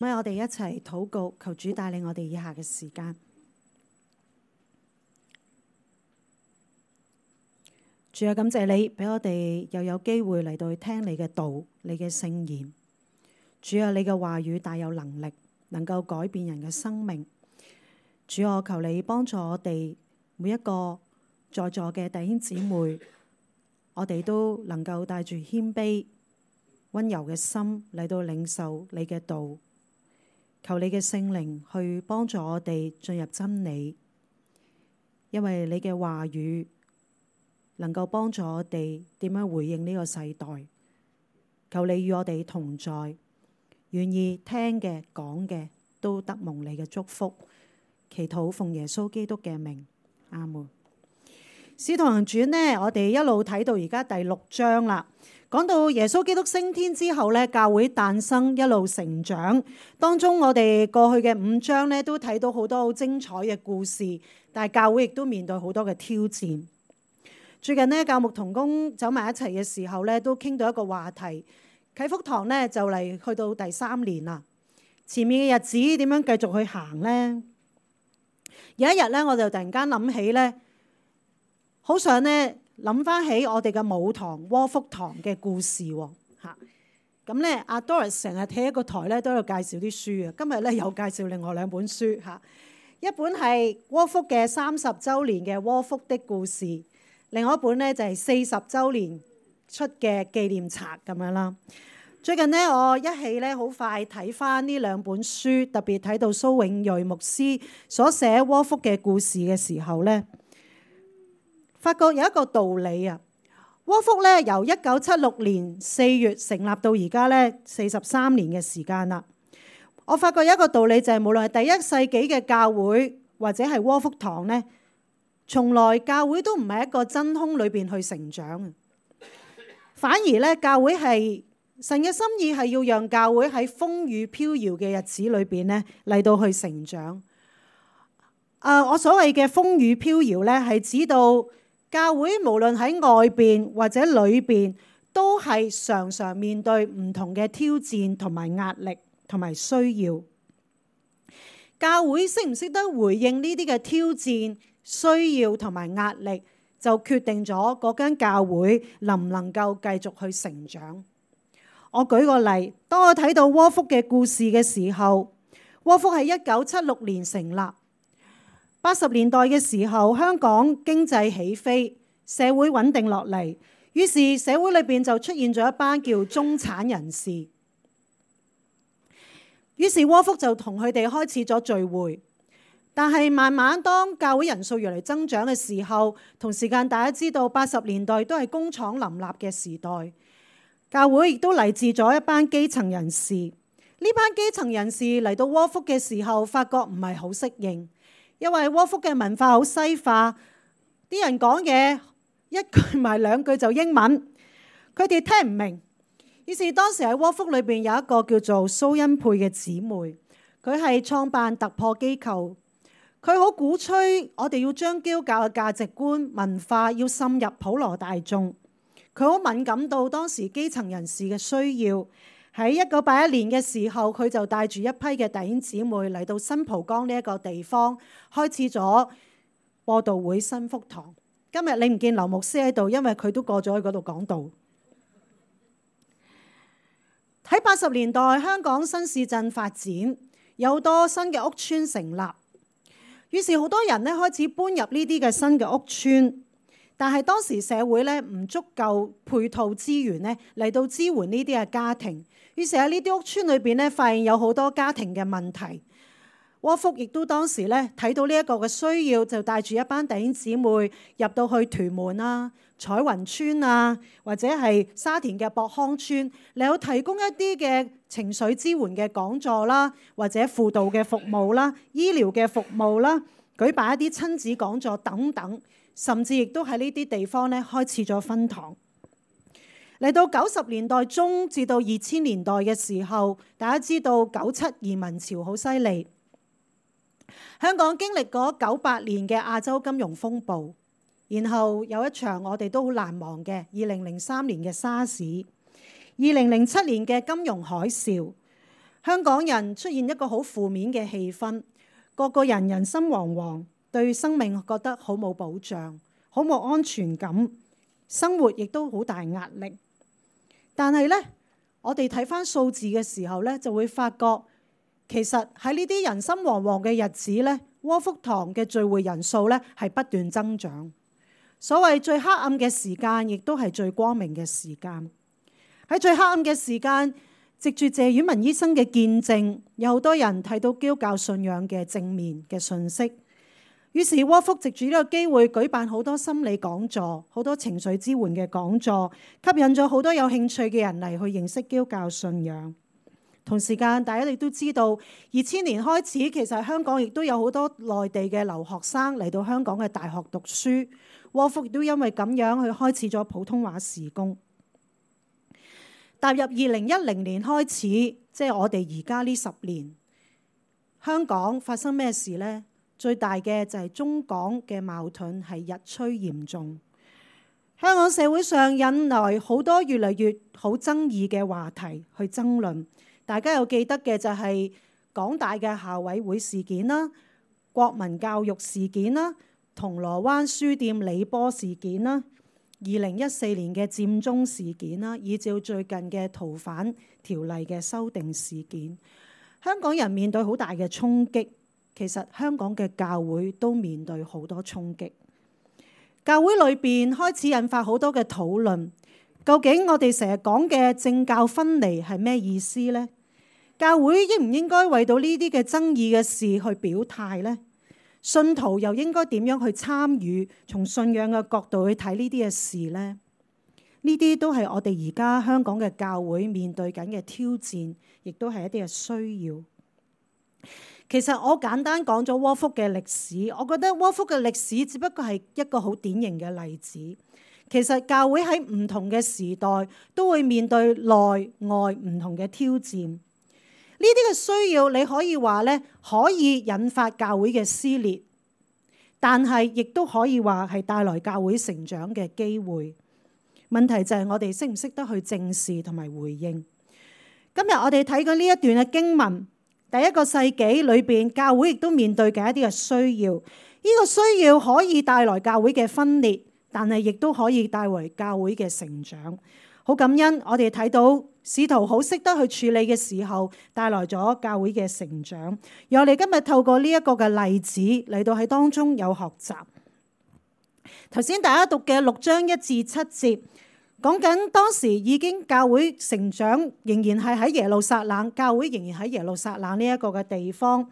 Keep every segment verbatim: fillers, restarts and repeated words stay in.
咁我哋一齊禱告，求主帶領我哋以下嘅時間。主啊，感謝你俾我哋又有機會嚟到去聽你嘅道，你嘅聖言。主啊，你嘅話語大有能力，能夠改變人嘅生命。主啊，我求你幫助我哋每一個在座嘅弟兄姊妹，我哋都能夠帶住謙卑、溫柔嘅心嚟到領受你嘅道。求你嘅聖靈去幫助我哋進入真理，因為你嘅話語能夠幫助我哋點樣回應呢個世代。求你與我哋同在，願意聽嘅講嘅都得蒙你嘅祝福。祈禱奉耶穌基督嘅名，阿門。使徒行傳呢，我哋一路睇到而家第六章啦。講到耶穌基督升天之後呢，教會誕生，一路成長。當中我哋過去嘅五章呢，都睇到好多好精彩嘅故事，但係教會亦都面對好多嘅挑戰。最近呢，教牧同工走埋一齊嘅時候呢，都傾到一個話題。啟福堂呢，就嚟去到第三年啦，前面嘅日子點樣繼續去行呢？有一日呢，我就突然間諗起呢，好想呢。諗翻起我哋嘅母堂窩福堂嘅故事喎，嚇咁咧，阿 Doris 成日企喺個台咧都有介紹啲書啊。今日咧有介紹另外兩本書嚇，一本係窩福嘅三十週年嘅窩福的故事，另外一本咧就係四十週年出嘅紀念冊咁樣啦。最近咧我一起咧好快睇翻呢兩本書，特別睇到蘇永瑞牧師所寫窩福嘅故事嘅時候咧，發覺有一個道理啊，窩福咧由一九七六年四月成立到而家咧四十三年嘅時間啦。我發覺有一個道理就係，無論係第一世紀嘅教會或者係窩福堂咧，從來教會都唔係一個真空裏邊去成長嘅，反而咧教會係神嘅心意係要讓教會喺風雨飄搖嘅日子裏邊咧嚟到去成長。啊，我所謂嘅風雨飄搖咧係指到教會無論喺外邊或者裏邊，都係常常面對唔同嘅挑戰同埋壓力同埋需要。教會識唔識得回應呢啲嘅挑戰、需要同埋壓力，就決定咗嗰間教會能唔能夠繼續去成長。我舉個例，當我睇到窩福嘅故事嘅時候，窩福係一九七六年成立。八十年代嘅時候，香港經濟起飛，社會穩定落嚟，於是社會裏邊就出現咗一班叫中產人士。於是窩福就同佢哋開始咗聚會，但係慢慢當教會人數越嚟增長嘅時候，同時間大家知道八十年代都係工廠林立嘅時代，教會亦都嚟自咗一班基層人士。呢班基層人士嚟到窩福嘅時候，發覺唔係好適應。因為窩福嘅文化好西化，啲人講嘢一句埋兩句就英文，佢哋聽唔明。於是當時喺窩福裏邊有一個叫做蘇恩佩嘅姊妹，佢係創辦突破機構，佢好鼓吹我哋要將基督教嘅價值觀、文化要滲入普羅大眾。佢好敏感到當時基層人士嘅需要。喺一九八一年嘅時候，佢就帶住一批嘅弟兄姊妹嚟到新蒲崗呢一個地方，開始咗播道會新福堂。今日你唔見劉牧師喺度，因為佢都過咗去嗰度講道。喺八十年代，香港新市鎮發展，有好多新嘅屋邨成立，於是好多人咧開始搬入呢啲嘅新嘅屋邨。但係當時社會咧唔足夠配套資源咧嚟到支援呢啲嘅家庭，於是喺呢啲屋邨裏邊咧發現有好多家庭嘅問題。窩福亦都當時咧睇到呢一個嘅需要，就帶住一班弟兄姊妹入到去屯門啊、彩雲村啊，或者係沙田嘅博康村，嚟到提供一啲嘅情緒支援嘅講座啦，或者輔導嘅服務啦、醫療嘅服務啦，舉辦一啲親子講座等等。甚至亦都喺呢啲地方咧開始咗分堂。嚟到九十年代中至到二千年代嘅時候，大家知道九七移民潮好犀利，香港經歷過九八年嘅亞洲金融風暴，然後有一場我哋都好難忘嘅二零零三年嘅沙士，二零零七年嘅金融海嘯。香港人出現一個好負面嘅氣氛，個個人人心惶惶，對生命覺得好冇保障，好冇安全感，生活亦都好大壓力。但係呢，我哋睇返數字嘅時候呢，就會發覺其實喺呢啲人心惶惶嘅日子呢，窩福堂嘅聚會人數呢係不斷增長。所謂最黑暗嘅時間，亦都係最光明嘅時間。喺最黑暗嘅時間，藉住謝婉文醫生嘅見證，有好多人睇到基督教信仰嘅正面嘅信息。於是窩福藉住呢個機會舉辦好多心理講座，好多情緒支援嘅講座，吸引咗好多有興趣嘅人嚟去認識基督教信仰。同時間，大家亦都知道，二千年開始，其實香港亦都有好多內地嘅留學生嚟到香港嘅大學讀書。窩福亦都因為咁樣去開始咗普通話事工。踏入二零一零年開始，即係我哋而家呢十年，香港發生咩事呢？最大嘅就係中港嘅矛盾係日趨嚴重。香港社會上引來好多越嚟越好爭議嘅話題去爭論。大家有記得嘅就係港大嘅校委會事件啦、國民教育事件啦、銅鑼灣書店李波事件啦、二零一四年嘅佔中事件啦，以至最近嘅逃犯條例嘅修訂事件，香港人面對好大嘅衝擊。其實香港嘅教會都面對好多衝擊。教會裏邊開始引發好多嘅討論，究竟我哋成日講嘅政教分離係咩意思呢？教會應唔應該為到呢啲嘅爭議嘅事去表態呢？信徒又應該點樣去參與，從信仰嘅角度去睇呢啲嘅事呢？呢啲都係我哋而家香港嘅教會面對緊嘅挑戰，亦都係一啲嘅需要。其實我簡單講咗窩福嘅歷史，我覺得窩福嘅歷史只不過係一個好典型嘅例子。其實教會喺唔同嘅時代都會面對內外唔同嘅挑戰。呢啲嘅需要，你可以話咧，可以引發教會嘅撕裂，但係亦都可以話係帶來教會成長嘅機會。問題就係我哋識唔識得去正視同埋回應。今日我哋睇緊呢一段嘅經文，第一個世紀裏邊，教會亦都面對緊一啲嘅需要。呢個需要可以帶來教會嘅分裂，但係亦都可以帶來教會嘅成長。好感恩，我哋睇到使徒好識得去處理嘅時候，帶來咗教會嘅成長。而我哋今日透過呢一個嘅例子嚟到喺當中有學習。頭先大家讀嘅六章一至七節，講緊當時已經教會成長，仍然係喺耶路撒冷，教會仍然喺耶路撒冷呢一個嘅地方。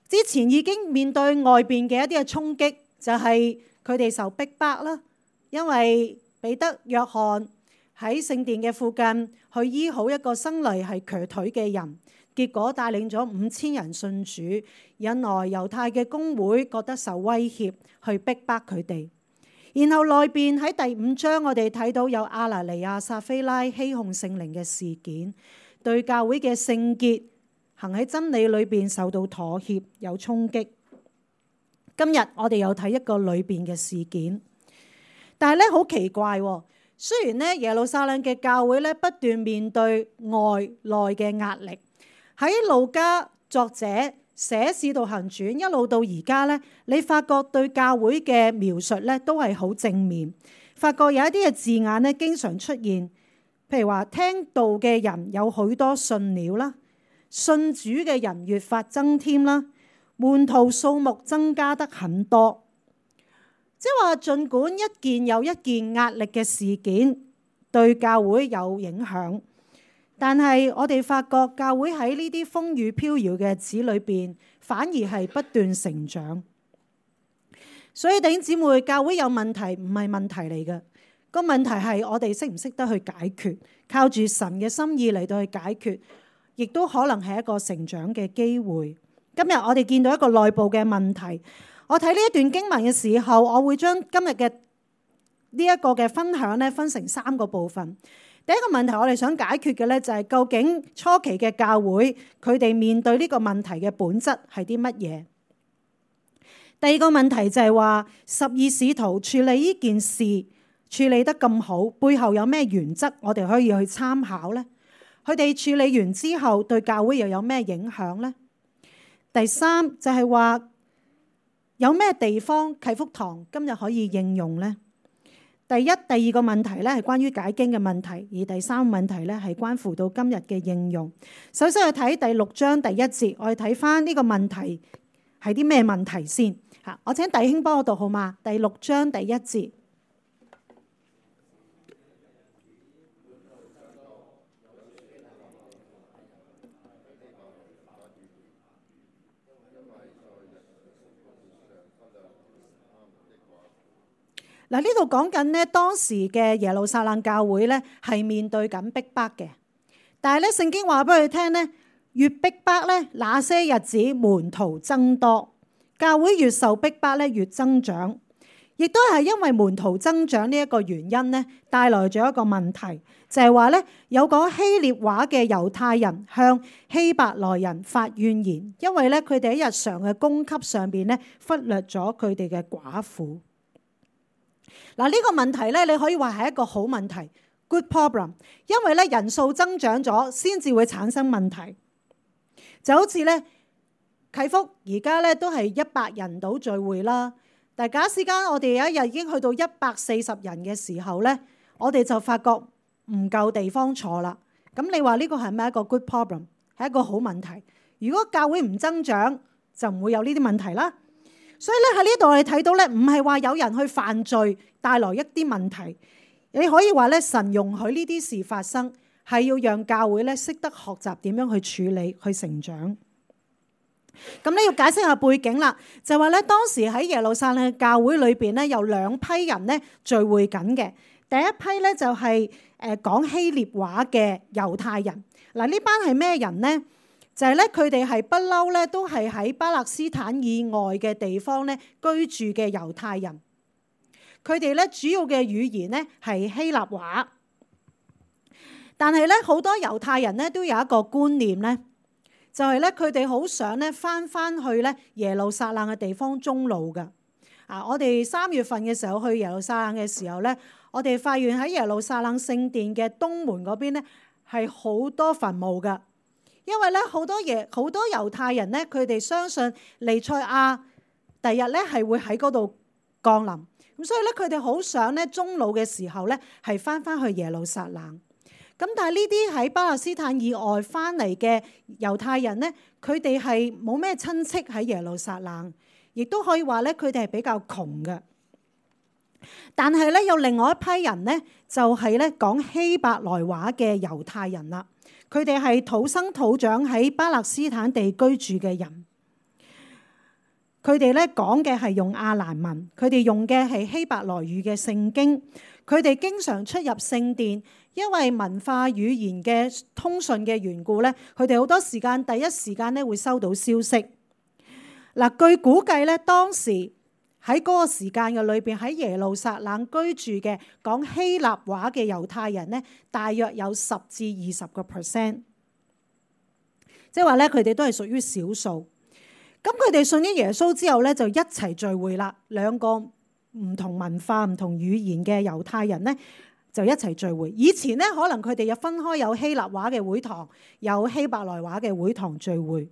之前已經面對外邊嘅一啲嘅衝擊，就係佢哋受逼迫啦，因為彼得、約翰喺聖殿嘅附近去醫好一個生嚟係瘸腿嘅人，結果帶領咗五千人信主，引來猶太嘅公會覺得受威脅，去逼迫佢哋。然後內邊喺第五章，我哋睇到有亞拿尼亞、撒非拉欺哄聖靈嘅事件，對教會嘅聖潔行喺真理裏邊受到妥協，有衝擊。今日我哋又睇一個裏邊嘅事件，但係咧好奇怪喎。雖然咧耶路撒冷嘅教會咧不斷面對外內嘅壓力，喺路加作者寫使徒行傳一路到而家咧，你發覺對教會嘅描述咧都係好正面。發覺有一啲嘅字眼咧經常出現，譬如話聽道嘅人有許多信了啦，信主嘅人越發增添啦，門徒數目增加得很多。即係話，儘管一件又一件壓力嘅事件對教會有影響，但係我哋發覺教會喺呢啲風雨飄搖嘅日子裏邊，反而係不斷成長。所以弟兄姊妹，教會有問題唔係問題嚟嘅，個問題係我哋識唔識得去解決，靠住神嘅心意嚟到去解決，亦都可能係一個成長嘅機會。今日我哋見到一個內部嘅問題。我睇呢一段經文嘅時候，我會將今日嘅呢一個嘅分享咧分成三個部分。第一個問題我哋想解決嘅咧就係究竟初期嘅教會佢哋面對呢個問題嘅本質係啲乜嘢？第二個問題就係話十二使徒處理呢件事處理得咁好，背後有咩原則我哋可以去參考呢？佢哋處理完之後對教會又有咩影響呢？第三就係話有咩地方啟福堂今日可以應用呢？第一、第二個問題咧係關於解經嘅問題，而第三個問題咧係關乎到今日嘅應用。首先去睇第六章第一節，我哋睇翻呢個問題係啲咩問題先嚇。我請弟兄幫我讀好嗎？第六章第一節。嗱，呢度講緊咧當時嘅耶路撒冷教會咧係面對緊逼迫嘅，但係咧聖經話俾佢聽咧，越逼迫咧那些日子門徒增多，教會越受逼迫咧越增長，亦都係因為門徒增長呢一個原因咧，帶來咗一個問題，就係話咧有講希臘話嘅猶太人向希伯來人發怨言，因為咧佢哋喺日常嘅供給上邊咧忽略咗佢哋嘅寡婦。嗱，呢個問題咧，你可以話係一個好問題 ，good problem， 因為咧人數增長咗，先至會產生問題。就好似咧啟福而家咧都係一百人到聚會啦，但係假使間我哋有一日已經去到一百四十人嘅時候咧，我哋就發覺唔夠地方坐啦。咁你話呢個係咪一個 good problem？ 係一個好問題。如果教會唔增長，就唔會有呢啲問題啦。所以咧喺呢度我哋睇到咧，唔係話有人去犯罪帶來一啲問題，你可以話咧神容許呢啲事發生，係要讓教會咧識得學習點樣去處理、去成長。咁你要解釋下背景啦，就話咧當時喺耶路撒冷嘅教會裏邊咧有兩批人咧聚會緊嘅，第一批咧就係誒講希臘話嘅猶太人。嗱，呢班係咩人呢？就係咧，佢哋係不嬲咧，都係喺巴勒斯坦以外嘅地方咧居住嘅猶太人。佢哋咧主要嘅語言咧係希臘話，但係咧好多猶太人咧都有一個觀念咧，就係咧佢哋好想咧返返去咧耶路撒冷嘅地方終老㗎。啊，我哋三月份嘅時候去耶路撒冷嘅時候咧，我哋發現喺耶路撒冷聖殿嘅東門嗰邊咧係好多墳墓㗎。因為咧好多嘢，好多猶太人咧，佢哋相信彌賽亞第日咧係會喺嗰度降臨，咁所以咧佢哋好想咧終老嘅時候咧係翻翻去耶路撒冷。咁但係呢啲喺巴勒斯坦以外翻嚟嘅猶太人咧，佢哋係冇咩親戚喺耶路撒冷，亦都可以話咧佢哋係比較窮嘅。但係咧有另外一批人咧，就係咧講希伯來話嘅猶太人啦。佢哋係土生土長喺巴勒斯坦地居住嘅人，佢哋咧講嘅係用亞蘭文，佢哋用嘅係希伯來語嘅聖經，佢哋經常出入聖殿，因為文化語言嘅通訊嘅緣故咧，佢哋好多時間第一時間咧會收到消息。嗱，據估計咧，當時喺嗰個時間嘅裏邊，喺耶路撒冷居住嘅講希臘話嘅猶太人咧，大約有十至二十個 percent， 即係話咧，佢哋都係屬於少數。咁佢哋信咗耶穌之後咧，就一齊聚會啦。兩個唔同文化、唔同語言嘅猶太人咧，就一齊聚會。以前咧，可能佢哋有分開，有希臘話嘅會堂，有希伯來話嘅會堂聚會。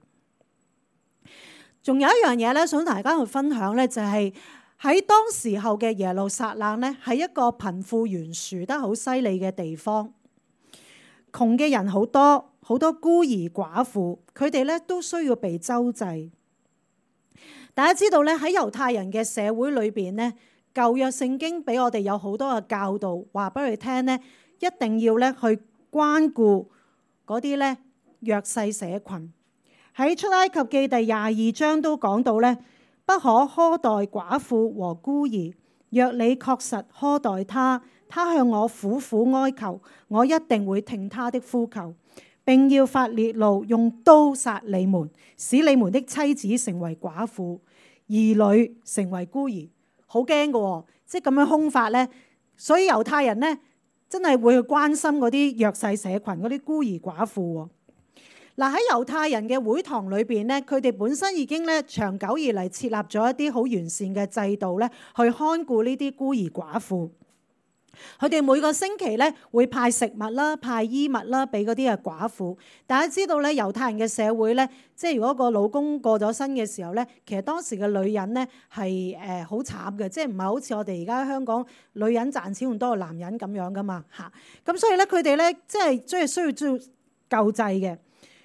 仲有一樣嘢咧，想同大家去分享咧，就係喺當時候嘅耶路撒冷咧，係一個貧富懸殊得好犀利嘅地方。窮嘅人好多，好多孤兒寡婦，佢哋咧都需要被周濟。大家知道咧，喺猶太人嘅社會裏邊咧，舊約聖經俾我哋有好多嘅教導，話俾佢聽咧，一定要咧去關顧嗰啲咧弱勢社群。喺出埃及記第廿二章都講到咧，不可苛待寡婦和孤兒。若你確實苛待他，他向我苦苦哀求，我一定會聽他的呼求，並要發烈怒，用刀殺你們，使你們的妻子成為寡婦，兒女成為孤兒。好驚㗎，即係咁樣兇法咧。所以猶太人咧真係會去關心嗰啲弱勢社群，嗰啲孤兒寡婦。嗱，喺猶太人嘅會堂裏邊咧，佢哋本身已經咧長久以嚟設立咗一啲好完善嘅制度咧，去看顧呢啲孤兒寡婦。佢哋每個星期咧會派食物啦、派衣物啦俾嗰啲嘅寡婦。大家知道咧，猶太人嘅社會咧，即係如果個老公過咗身嘅時候咧，其實當時嘅女人咧係誒好慘嘅，即係唔係好似我哋而家香港女人賺錢仲多過男人咁樣噶嘛嚇。咁所以咧，佢哋咧即係即係需要做救濟嘅。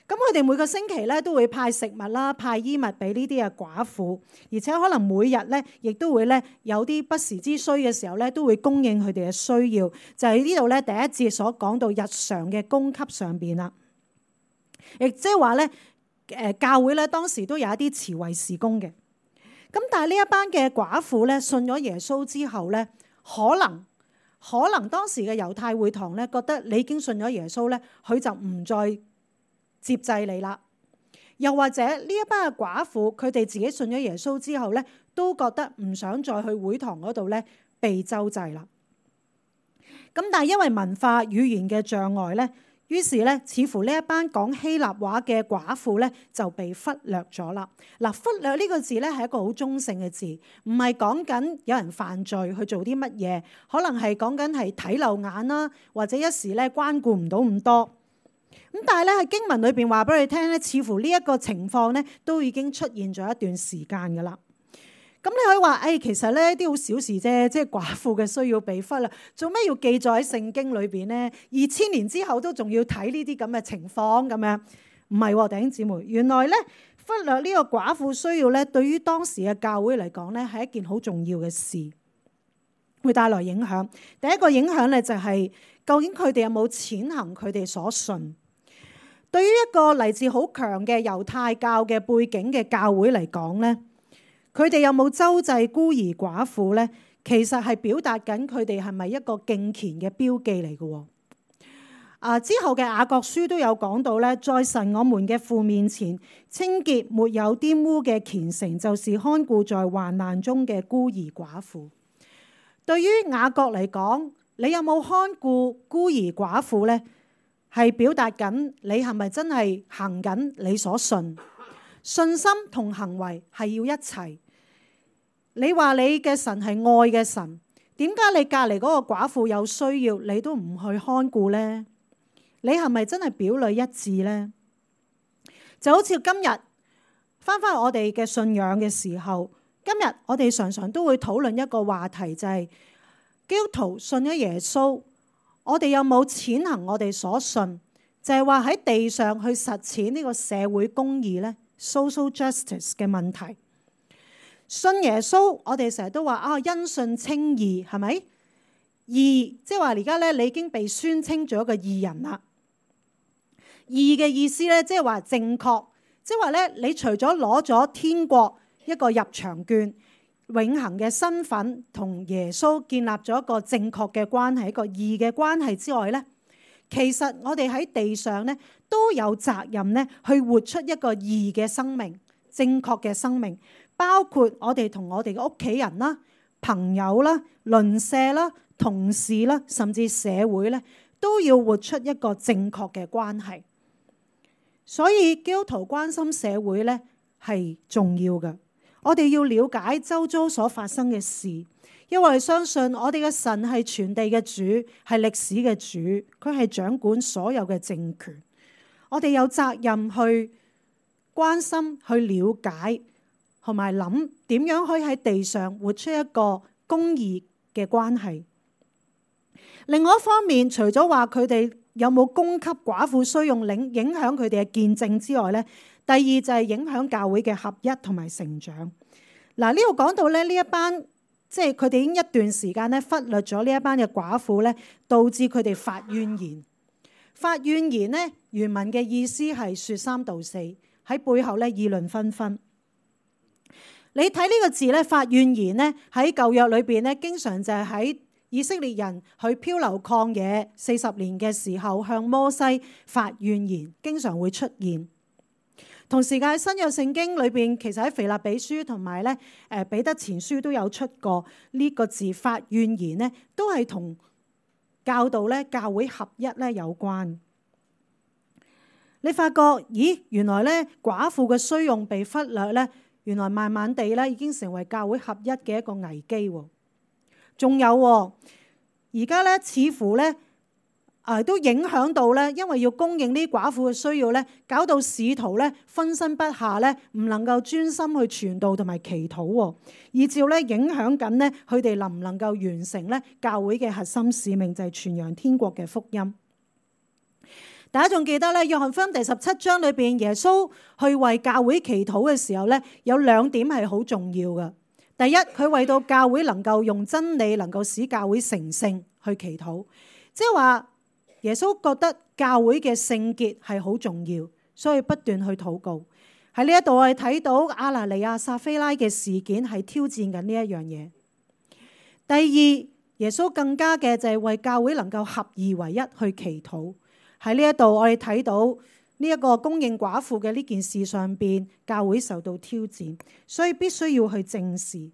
咁佢哋每個星期咧都會派食物啦、派衣物俾呢啲嘅寡婦，而且可能每日咧亦都會咧有啲不時之需嘅時候咧，都會供應佢哋嘅需要。就係呢度咧第一節所講到日常嘅供給上邊啦，亦即係話咧誒教會咧當時都有一啲慈惠事工嘅。咁但係呢一班嘅寡婦咧信咗耶穌之後咧，可能可能當時嘅猶太會堂咧覺得你已經信咗耶穌咧，佢就唔再接濟你啦，又或者呢一班嘅寡婦，佢哋自己信咗耶穌之後咧，都覺得唔想再去會堂嗰度咧被周濟啦。咁但係因為文化語言嘅障礙咧，於是咧似乎呢一班講希臘話嘅寡婦咧就被忽略咗啦。嗱，忽略呢個字咧係一個好中性嘅字，唔係講緊有人犯罪去做啲乜嘢，可能係講緊係睇漏眼啦，或者一時咧關顧唔到咁多。咁但係咧喺經文裏邊話俾你聽咧，似乎呢一個情況咧都已經出現咗一段時間噶啦。咁你可以話，誒、哎、其實咧啲好小事啫，即係寡婦嘅需要被忽略，做咩要記載喺聖經裏邊咧？二千年之後都仲要睇呢啲咁嘅情況咁樣？唔係喎，弟兄姊妹，原來咧忽略呢個寡婦需要咧，對於當時嘅教會嚟講咧係一件好重要嘅事，會帶來影響。第一個影響咧就係、是、究竟佢哋有冇踐行佢哋所信？對於一個嚟自好強嘅猶太教嘅背景嘅教會嚟講咧，佢哋有冇周濟孤兒寡婦咧？其實係表達緊佢哋係咪一個敬虔嘅標記嚟嘅。啊，之後嘅雅各書都有講到咧，在神我們嘅父面前，清潔沒有玷污嘅虔誠，就是看顧在患難中嘅孤兒寡婦。對於雅各嚟講，你有冇看顧孤兒寡婦咧？係表達緊你係咪真係行緊你所信？信心同行為係要一齊。你話你嘅神係愛嘅神，點解你隔離嗰個寡婦有需要，你都唔去看顧呢？你係咪真係表裏一致呢？就好似今日翻返我哋嘅信仰嘅時候，今日我哋常常都會討論一個話題，就係基督徒信咗耶穌，我哋有冇踐行我哋所信？就係話喺地上去實踐呢個社會公義咧 ，social justice 嘅問題。信耶穌，我哋成日都話啊，因信稱義，係咪？義即係話而家咧，你已經被宣稱咗一個義人啦。義嘅意思咧，即係話正確，即係話咧，你除咗攞咗天國一個入場券，永恆嘅身份同耶穌建立咗一個正確嘅關係，一個義嘅關係之外咧，其實我哋喺地上咧都有責任咧去活出一個義嘅生命，正確嘅生命，包括我哋同我哋嘅屋企人啦、朋友啦、鄰舍啦、同事啦，甚至社會咧，都要活出一個正確嘅關係。所以基督徒關心社會咧係重要嘅。我哋要了解周遭所發生嘅事，因為相信我哋嘅神係全地嘅主，係歷史嘅主，佢係掌管所有嘅政權。我哋有責任去關心、去了解，同埋諗點樣可以喺地上活出一個公義嘅關係。另外一方面，除咗話佢哋有冇供給寡婦需用，影影響佢哋嘅見證之外咧，第二就係影響教會嘅合一同埋成長。嗱，呢度講到咧，呢一班即係佢哋已經一段時間咧忽略咗呢一班嘅寡婦咧，導致佢哋發怨言。發怨言咧，原文嘅意思係説三道四，喺背後咧議論紛紛。你睇呢個字咧，發怨言咧喺舊約裏邊咧，經常就係喺以色列人去漂流曠野四十年嘅時候，向摩西發怨言，經常會出現。同時間喺新約聖經裏邊，其實喺腓立比書同埋咧誒彼得前書都有出過呢個字，發怨言咧，都係同教導咧教會合一咧有關。你發覺咦，原來咧寡婦嘅需用被忽略咧，原來慢慢地咧已經成為教會合一嘅一個危機喎。仲有而家咧似乎咧啊都影響到咧，因為要供應呢啲寡婦嘅需要咧，搞到使徒咧分身不下咧，唔能夠專心去傳道同埋祈禱喎，以至咧影響緊咧佢哋能唔能夠完成咧教會嘅核心使命，就係傳揚天國嘅福音。大家仲記得咧，約翰福音第十七章裏邊，耶穌去為教會祈禱嘅時候咧，有兩點係好重要嘅。第一，佢為到教會能夠用真理，能夠使教會成聖去祈禱，即係話耶穌覺得教會嘅聖潔係好重要，所以不斷去禱告。喺呢一度我哋睇到亞拿尼亞撒非拉嘅事件係挑戰緊呢一樣嘢。第二，耶穌更加嘅就係為教會能夠合二為一去祈禱。喺呢一度，我哋睇到呢一個供應寡婦嘅呢件事上邊，教會受到挑戰，所以必須要去正視。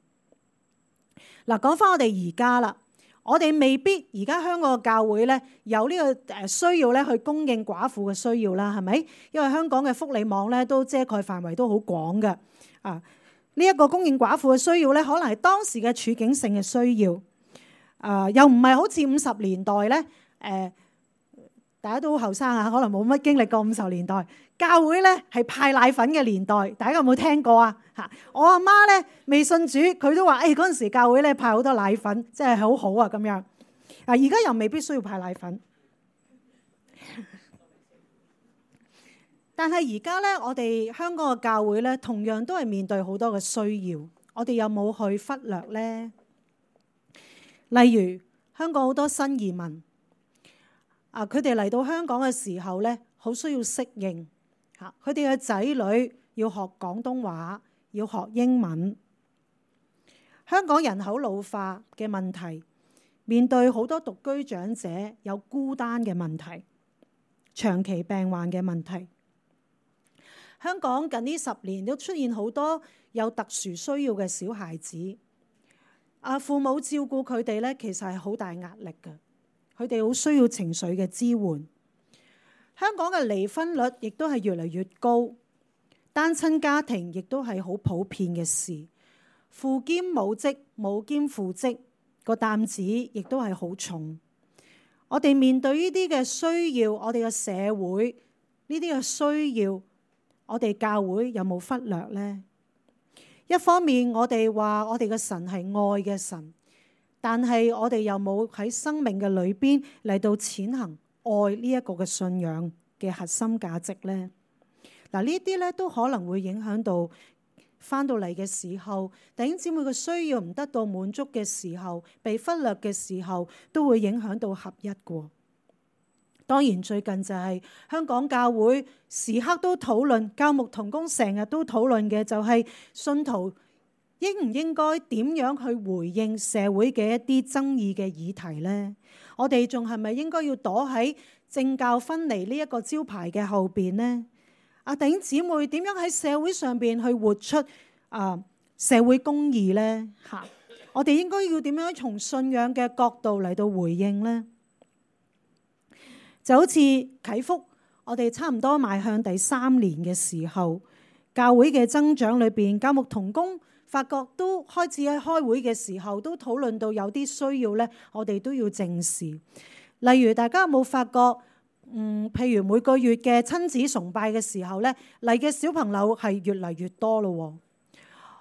嗱，講翻我哋而家啦，我哋未必而家香港嘅教會咧有呢個誒需要咧去供應寡婦嘅需要啦，係咪？因為香港嘅福利網咧都遮蓋範圍都好廣嘅啊。呢一個供應寡婦嘅需要咧，可能係當時嘅處境性嘅需要，啊，又唔係好似五十年代咧誒。大家都好後生啊，可能冇乜經歷過五十年代教會咧係派奶粉嘅年代，大家有冇聽過啊？嚇，我阿媽咧未信主，佢都話：誒嗰陣時教會咧派好多奶粉，真係好好啊咁樣。啊，而家又未必需要派奶粉，但係而家咧，我哋香港嘅教會咧，同樣都係面對好多嘅需要，我哋有冇去忽略咧？例如香港好多新移民。啊！佢哋嚟到香港嘅時候咧，好需要適應嚇。佢哋嘅仔女要學廣東話，要學英文。香港人口老化嘅問題，面對好多獨居長者有孤單嘅問題，長期病患嘅問題。香港近呢十年都出現好多有特殊需要嘅小孩子。啊，父母照顧佢哋咧，其實係好大壓力嘅。佢哋好需要情緒嘅支援。香港嘅離婚率亦都係越嚟越高，單親家庭亦都係好普遍嘅事。父兼母職、母兼父職個擔子亦都係好重。我哋面對呢啲嘅需要，我哋嘅社會呢啲嘅需要，我哋教會有冇忽略呢？一方面我哋話我哋嘅神係愛嘅神。但係我哋又冇喺生命嘅裏邊嚟到踐行愛呢一個嘅信仰嘅核心價值呢？嗱，呢啲咧都可能會影響到翻到嚟嘅時候，弟兄姊妹嘅需要唔得到滿足嘅時候，被忽略嘅時候，都會影響到合一嘅。當然最近就係香港教會時刻都討論，教牧同工成日都討論嘅就係信徒應唔應該點樣去回應社會嘅一啲爭議嘅議題呢？我哋仲係咪應該要躲喺政教分離呢一個招牌嘅後邊呢？啊，弟兄姊妹點樣喺社會上邊去活出啊社會公義呢？嚇，我哋應該要點樣從信仰嘅角度嚟到回應呢？就好似啟福，我哋差唔多邁向第三年嘅時候，教會嘅增長裏邊，教牧同工發覺都開始喺開會嘅時候都討論到有啲需要咧，我哋都要正視。例如大家有冇發覺？嗯，譬如每個月嘅親子崇拜嘅時候咧，嚟嘅小朋友係越嚟越多咯。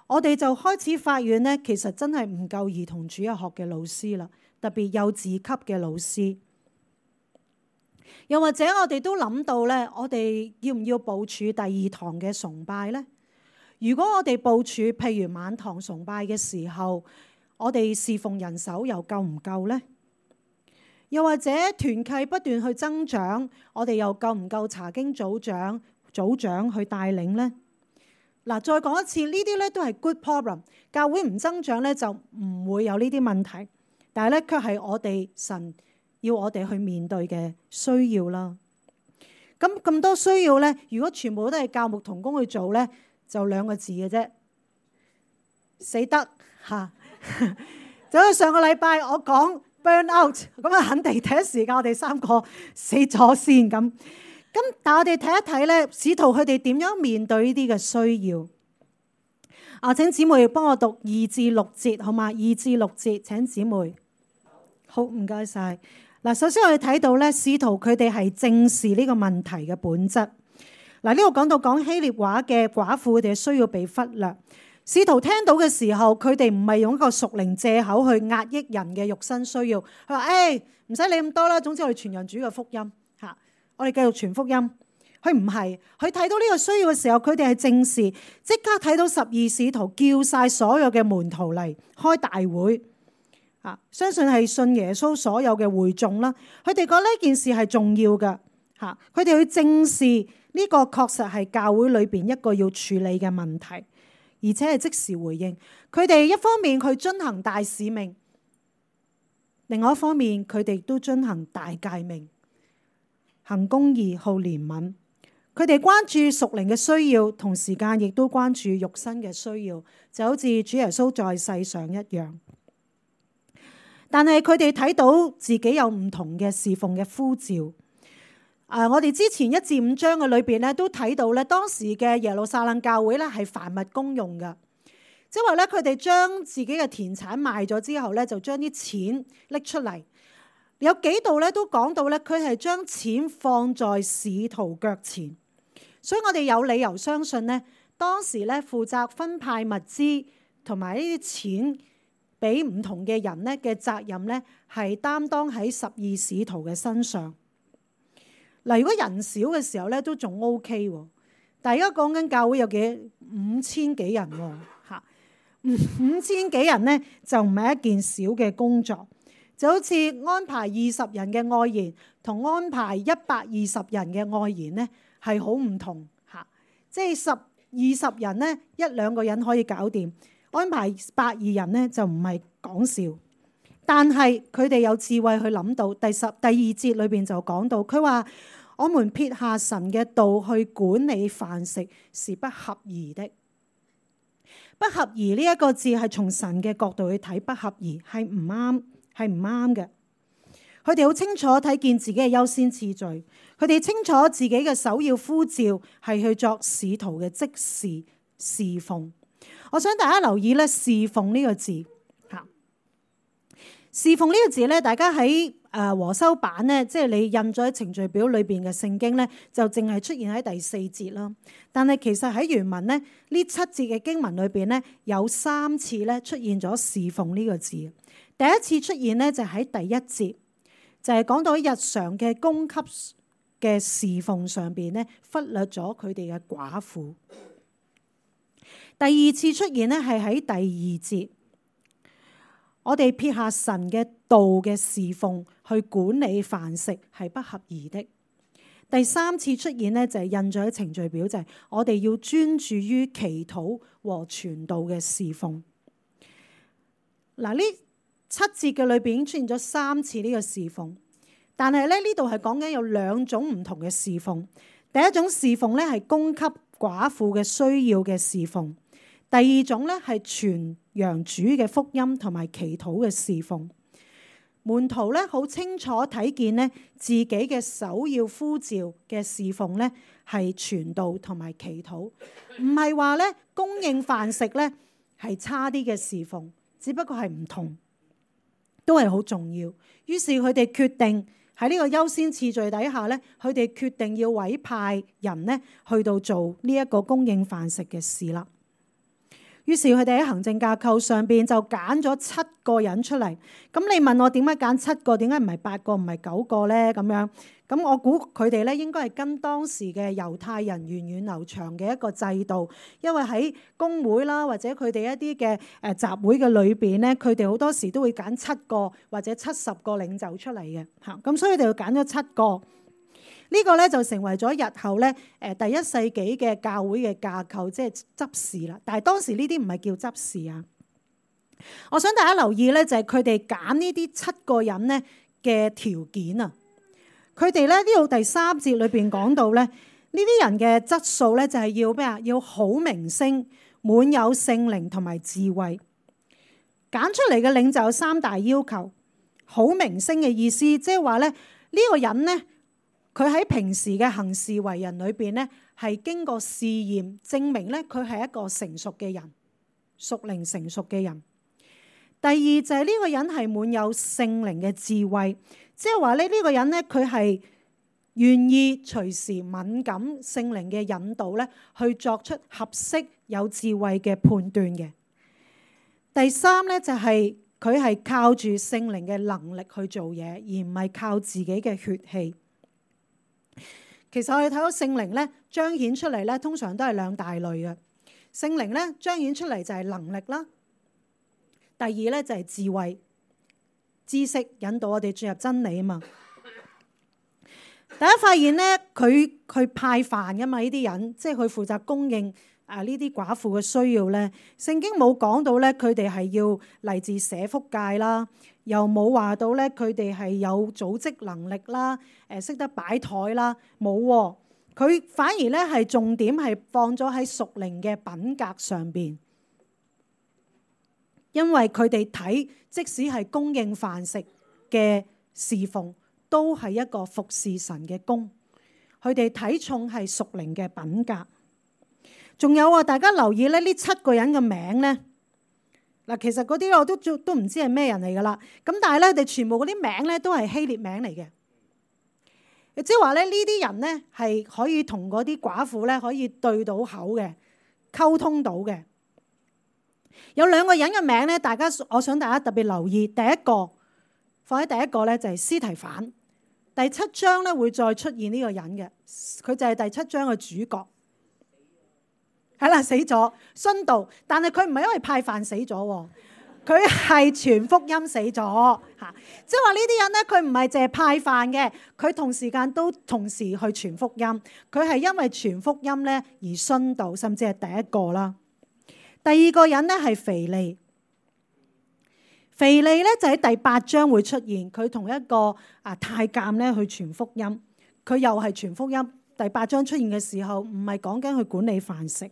我哋就開始發現咧，其實真係唔夠兒童主日學嘅老師啦，特別幼稚級嘅老師。又或者我哋都諗到咧，我哋要唔要部署第二堂嘅崇拜咧？如果我哋部署譬如晚堂崇拜嘅時候，我哋侍奉人手又夠唔夠呢？又或者團契不斷去增長，我哋又夠唔夠查經組長、組長去帶領呢？嗱，再講一次，呢啲咧都係 good problem。教會唔增長咧，就唔會有呢啲問題，但係咧卻係我哋神要我哋去面對嘅需要啦。咁咁多需要咧，如果全部都係教牧同工去做咧，就兩個字嘅啫，死得嚇。就好似上個禮拜我講 burn out， 咁啊肯定第一時間我哋三個死咗先咁。咁但係我哋睇一睇咧，使徒佢哋點樣面對呢啲嘅需要？啊，請姊妹幫我讀二至六節好嘛？二至六節請姊妹。好，唔該晒。嗱，首先我哋睇到咧，使徒佢哋係正視呢個問題嘅本質。嗱，呢度講到講希臘話嘅寡婦，佢哋需要被忽略。使徒聽到嘅時候，佢哋唔係用一個屬靈藉口去壓抑人嘅肉身需要。佢話：誒，唔使理咁多啦，總之我哋傳揚主嘅福音嚇，我哋繼續傳福音。佢唔係，佢睇到呢個需要嘅時候，佢哋係正視，即刻睇到十二使徒叫晒所有嘅門徒嚟開大會。啊，相信係信耶穌所有嘅會眾啦，佢哋覺得呢件事係重要嘅嚇，佢哋去正視呢個確實係教會裏邊一個要處理嘅問題，而且係即時回應。佢哋一方面佢遵行大使命，另外一方面佢哋都遵行大誡命，行公義、好憐憫。佢哋關注屬靈嘅需要，同時間亦都關注肉身嘅需要，就好似主耶穌在世上一樣。但係佢哋睇到自己有唔同嘅侍奉嘅呼召。誒、呃，我哋之前一至五章嘅裏邊咧，都睇到咧，當時嘅耶路撒冷教會咧係凡物公用嘅，即係話咧，佢哋將自己嘅田產賣咗之後咧，就將啲錢拎出嚟。有幾度咧都講到咧，佢係將錢放在使徒腳前，所以我哋有理由相信咧，當時咧負責分派物資同埋呢啲錢俾唔同嘅人咧嘅責任咧，係擔當喺十二使徒嘅身上。嗱，如果人少嘅時候咧，都仲 OK 喎。但係而家講緊教會有幾五千幾人喎，嚇五千幾人咧就唔係一件小嘅工作，就好似安排二十人嘅愛筵同安排一百二十人嘅愛筵咧係好唔同嚇。即係十二十人咧，一兩個人可以搞掂。安排百二人咧就唔係講笑，但係佢哋有智慧去諗到第十第二節裏邊就講到，佢話我們撇下神嘅道去管理飯食是不合宜的。不合宜呢一個字係從神嘅角度去睇，不合宜係唔啱，係唔啱嘅。佢哋好清楚睇見自己嘅優先次序，佢哋清楚自己嘅首要呼召係去作使徒嘅職事侍奉。我想大家留意咧，侍奉呢個字嚇。侍奉呢個字咧，大家喺誒和修版咧，即係你印咗喺程序表裏邊嘅聖經咧，就淨係出現喺第四節啦。但係其實喺原文咧，呢七節嘅經文裏邊咧，有三次咧出現咗侍奉呢個字。第一次出現咧就喺第一節，就係講到喺日常嘅供給嘅侍奉上邊咧，忽略咗佢哋嘅寡婦。第二次出現咧係喺第二節，我哋撇下神嘅道嘅侍奉去管理飯食係不合宜的。第三次出現咧就係印咗喺程序表，就係我哋要專注於祈禱和傳道嘅侍奉。嗱，呢七節嘅裏邊已經出現咗三次呢個侍奉，但係咧呢度係講緊有兩種唔同嘅侍奉。第一種侍奉咧係供給寡婦嘅需要嘅侍奉。第二種咧係傳揚主嘅福音同埋祈禱嘅侍奉。門徒咧好清楚睇見咧自己嘅首要呼召嘅侍奉咧係傳道同埋祈禱，唔係話咧供應飯食咧係差啲嘅侍奉，只不過係唔同，都係好重要。於是佢哋決定喺呢個優先次序底下咧，佢哋決定要委派人咧去到做呢一個供應飯食嘅事啦。於是佢哋喺行政架構上邊就揀咗七個人出嚟。咁你問我點解揀七個？點解唔係八個？唔係九個咧？咁樣咁我估佢哋咧應該係跟當時嘅猶太人源遠流長嘅一個制度，因為喺公會啦或者佢哋一啲嘅誒集會嘅裏邊咧，佢哋好多時都會揀七個或者七十個領袖出嚟嘅嚇。咁所以佢哋就揀咗七個。呢個咧就成為咗日後咧誒第一世紀嘅教會嘅架構，即係執事啦。但係當時呢啲唔係叫執事啊。我想大家留意咧，就係佢哋揀呢啲七個人咧嘅條件啊。佢哋咧呢度第三節裏邊講到咧，呢啲人嘅質素咧就係要咩啊？要好名聲，滿有聖靈同埋智慧。揀出嚟嘅領袖有三大要求。好名聲嘅意思，即係話咧呢個人咧。佢喺平時嘅行事為人裏邊咧，係經過試驗證明咧，佢係一個成熟嘅人，屬靈成熟嘅人。第二就係呢個人係滿有聖靈嘅智慧，即係話咧呢個人咧佢係願意隨時敏感聖靈嘅引導咧，去作出合適有智慧嘅判斷嘅。第三咧就係佢係靠住聖靈嘅能力去做嘢，而唔係靠自己嘅血氣。其實我哋睇到聖靈咧彰顯出嚟咧，通常都係兩大類嘅。聖靈咧彰顯出嚟就係能力啦，第二咧就係智慧、知識，引導我哋進入真理啊嘛。大家發現咧，佢佢派飯噶嘛？呢啲人即係佢負責供應啊呢啲寡婦嘅需要咧。聖經冇講到咧，佢哋係要嚟自社福界啦，又冇話到咧佢哋係有組織能力啦，誒識得擺台啦，冇喎。佢反而咧係重點係放咗喺屬靈嘅品格上邊，因為佢哋睇即使係供應飯食嘅侍奉，都係一個服侍神嘅工。佢哋睇重係屬靈嘅品格。仲有啊，大家留意咧，呢七個人嘅名咧，嗱其實嗰啲我都都唔知係咩人嚟噶啦。咁但係咧，佢哋全部嗰啲名咧都係希臘名嚟嘅。即係話咧，呢啲人咧係可以同嗰啲寡婦咧可以對到口嘅，溝通到嘅。有兩個人嘅名咧，大家我想大家特別留意。第一個放喺第一個咧就係司提反。第七章咧會再出現呢個人嘅，佢就係第七章嘅主角。係啦，死咗殉道，但係佢唔係因為派飯死咗，佢係傳福音死咗嚇。即係話呢啲人咧，佢唔係淨係派飯嘅，佢同時間都同時去傳福音。佢係因為傳福音咧而殉道，甚至係第一個啦。第二個人咧係腓利。腓利咧就喺第八章會出現，佢同一個啊太監咧去傳福音，佢又係傳福音。第八章出現嘅時候，唔係講緊去管理飯食。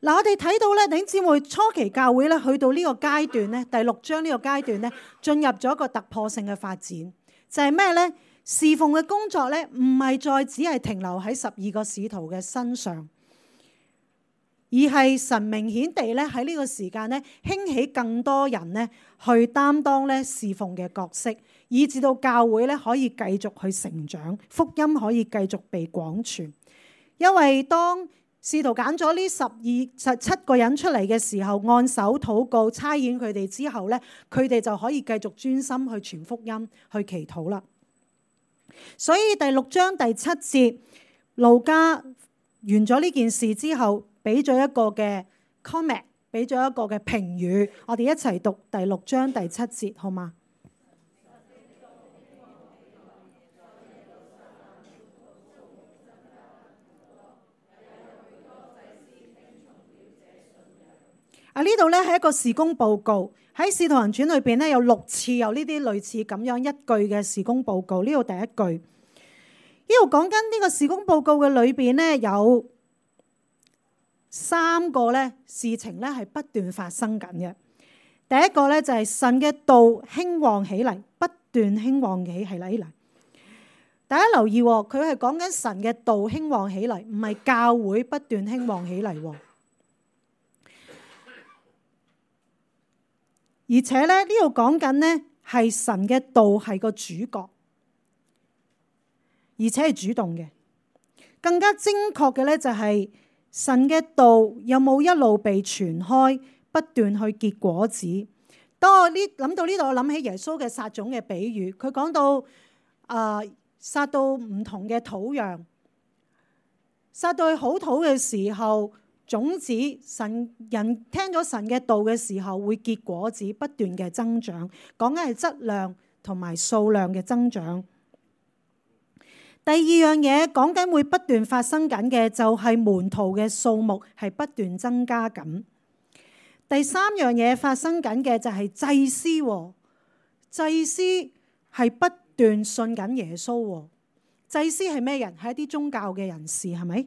嗱，我哋睇到咧，弟兄姊妹初期教會咧去到呢個階段咧，第六章呢個階段咧，進入咗一個突破性嘅發展，就係咩咧？侍奉嘅工作咧，唔係再只係停留喺十二個使徒嘅身上。而係神明顯地咧喺呢個時間咧興起更多人咧去擔當咧侍奉嘅角色，以至到教會咧可以繼續去成長，福音可以繼續被廣傳。因為當使徒揀咗呢十二十七個人出嚟嘅時候，按手禱告差遣佢哋之後咧，佢哋就可以繼續專心去傳福音、去祈禱啦。所以第六章第七節，路加完咗呢件事之後，俾咗一個嘅 comment， 俾咗一個嘅評語，我哋一齊讀第六章第七節，好嗎？啊，呢度咧係一個事工報告，喺《使徒行傳》裏邊咧有六次有呢啲類似咁樣一句嘅事工報告。呢度第一句，呢度講緊呢個事工報告嘅裏邊咧有三個咧事情咧係不斷發生緊嘅。第一個咧就係神嘅道興旺起嚟，不斷興旺起係嚟。大家留意，佢係講緊神嘅道興旺起嚟，唔係教會不斷興旺起嚟。而且咧呢度講緊呢係神嘅道係個主角，而且係主動嘅。更加精確嘅咧就係神嘅道有冇一路被傳開，不斷去結果子。當我呢諗到呢度，我諗起耶穌嘅撒種嘅比喻，佢講到啊、呃、撒到唔同嘅土壤，撒到去好土嘅時候，種子神人聽咗神嘅道嘅時候會結果子，不斷嘅增長，講緊係質量同埋數量嘅增長。第二樣嘢講緊會不斷發生緊嘅就係門徒嘅數目係不斷增加緊。第三樣嘢發生緊嘅就係祭司，祭司係不斷信緊耶穌。祭司係咩人？係一啲宗教嘅人士，係咪？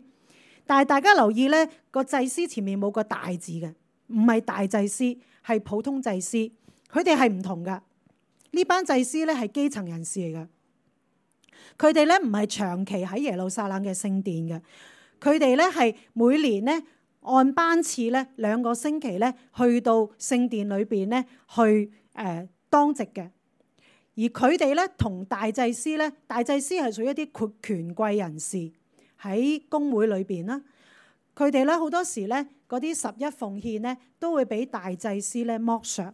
但係大家留意咧，個祭司前面冇個大字嘅，唔係大祭司，係普通祭司。佢哋係唔同噶。呢班祭司咧係基層人士嚟噶。佢哋咧唔係長期喺耶路撒冷嘅聖殿嘅，佢哋咧係每年咧按班次咧兩個星期咧去到聖殿裏邊咧去誒、呃、當值嘅。而佢哋咧同大祭司咧，大祭司係屬於一啲權貴人士喺公會裏邊啦。佢哋咧好多時咧嗰啲十一奉獻咧都會俾大祭司咧剝削，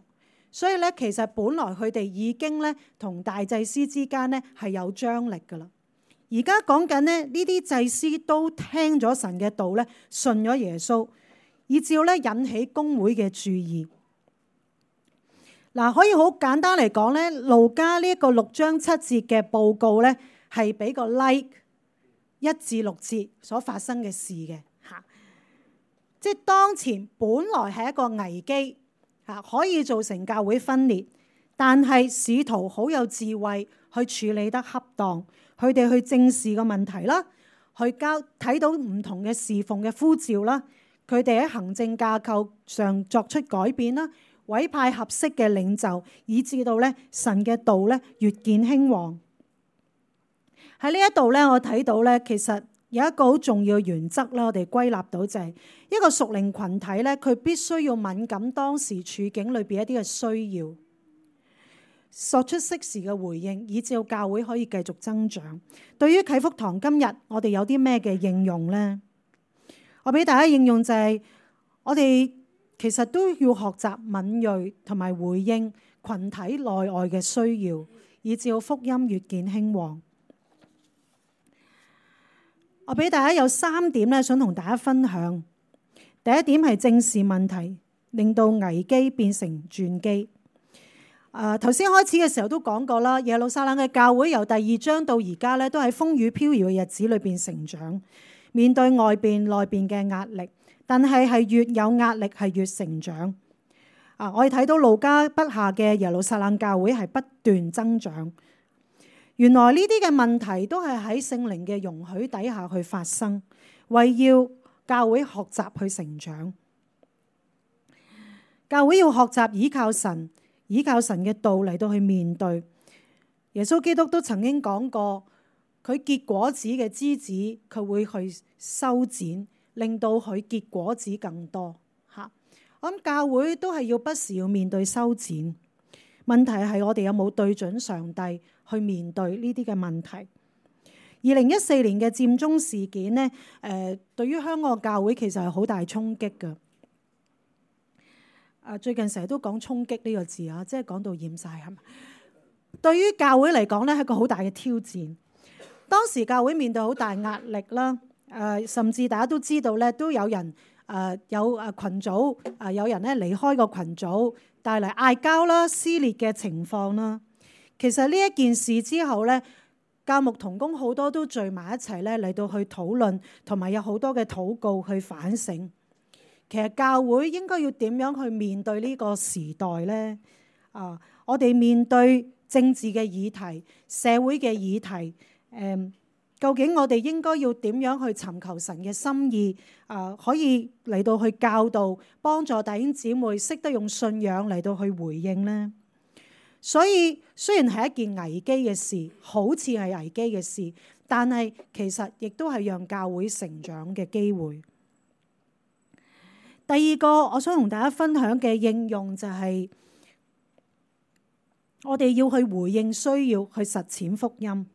所以咧其實本來佢哋已經咧同大祭司之間咧係有張力噶啦。而家講緊咧呢啲祭司都聽咗神嘅道咧，信咗耶穌，以至咧引起公會嘅注意。嗱，可以好簡單嚟講咧，路加呢一個六章七節嘅報告咧，係俾個 like 一至六節所發生嘅事嘅嚇。即係當前本來係一個危機嚇，可以造成教會分裂，但係使徒好有智慧去處理得恰當，佢哋去正視個問題啦，去交睇到唔同嘅侍奉嘅呼召啦，佢哋喺行政架構上作出改變啦。委派合適嘅領袖，以至到咧神嘅道咧越見興旺。喺呢一度咧，我睇到咧，其實有一個好重要嘅原則啦，我哋歸納到就係一個屬靈群體咧，佢必須要敏感當時處境裏邊一啲嘅需要，作出適時嘅回應，以至到教會可以繼續增長。對於啟福堂今日我哋有啲咩嘅應用咧？我俾大家應用就係我哋。其實都要學習敏銳同埋回應群體內外嘅需要，以至到福音越見興旺。我俾大家有三點咧，想同大家分享。第一點係正視問題，令到危機變成轉機。誒頭先開始嘅時候都講過啦，耶路撒冷嘅教會由第二章到而家咧，都喺風雨飄搖嘅日子裏邊成長，面對外邊內邊嘅壓力。但係係越有壓力係越成長啊！我哋睇到路加筆下嘅耶路撒冷教會係不斷增長。原來呢啲嘅問題都係喺聖靈嘅容許底下去發生，為要教會學習去成長。教會要學習倚靠神，倚靠神嘅道嚟到去面對。耶穌基督都曾經講過，佢結果子嘅枝子，佢會去修剪。令到佢結果子更多嚇，我諗教會都係要不時要面對修剪。問題係我哋有冇對準上帝去面對呢啲嘅問題？二零一四年嘅佔中事件呢，誒對於香港教會其實係好大衝擊㗎。啊，最近成日都講衝擊呢個字啊，即係講到厭晒係咪？對於教會嚟講呢，係一個好大嘅挑戰。當時教會面對好大壓力啦。誒、呃，甚至大家都知道咧，都有人誒、呃、有誒羣組誒、呃，有人咧離開個群組，帶嚟嗌交啦、撕裂嘅情況啦。其實呢一件事之後咧，教牧同工好多都聚埋一齊咧嚟到去討論，同埋有好多嘅禱告去反省。其實教會應該要點樣去面對呢個時代咧？啊、呃，我哋面對政治嘅議題、社會嘅議題，誒、呃。究竟我哋應該要點樣去尋求神嘅心意？啊、呃，可以嚟到去教導、幫助弟兄姊妹識得用信仰嚟到去回應呢？所以雖然係一件危機嘅事，好似係危機嘅事，但係其實亦都係讓教會成長嘅機會。第二個我想同大家分享嘅應用就係我哋要去回應需要，去實踐福音。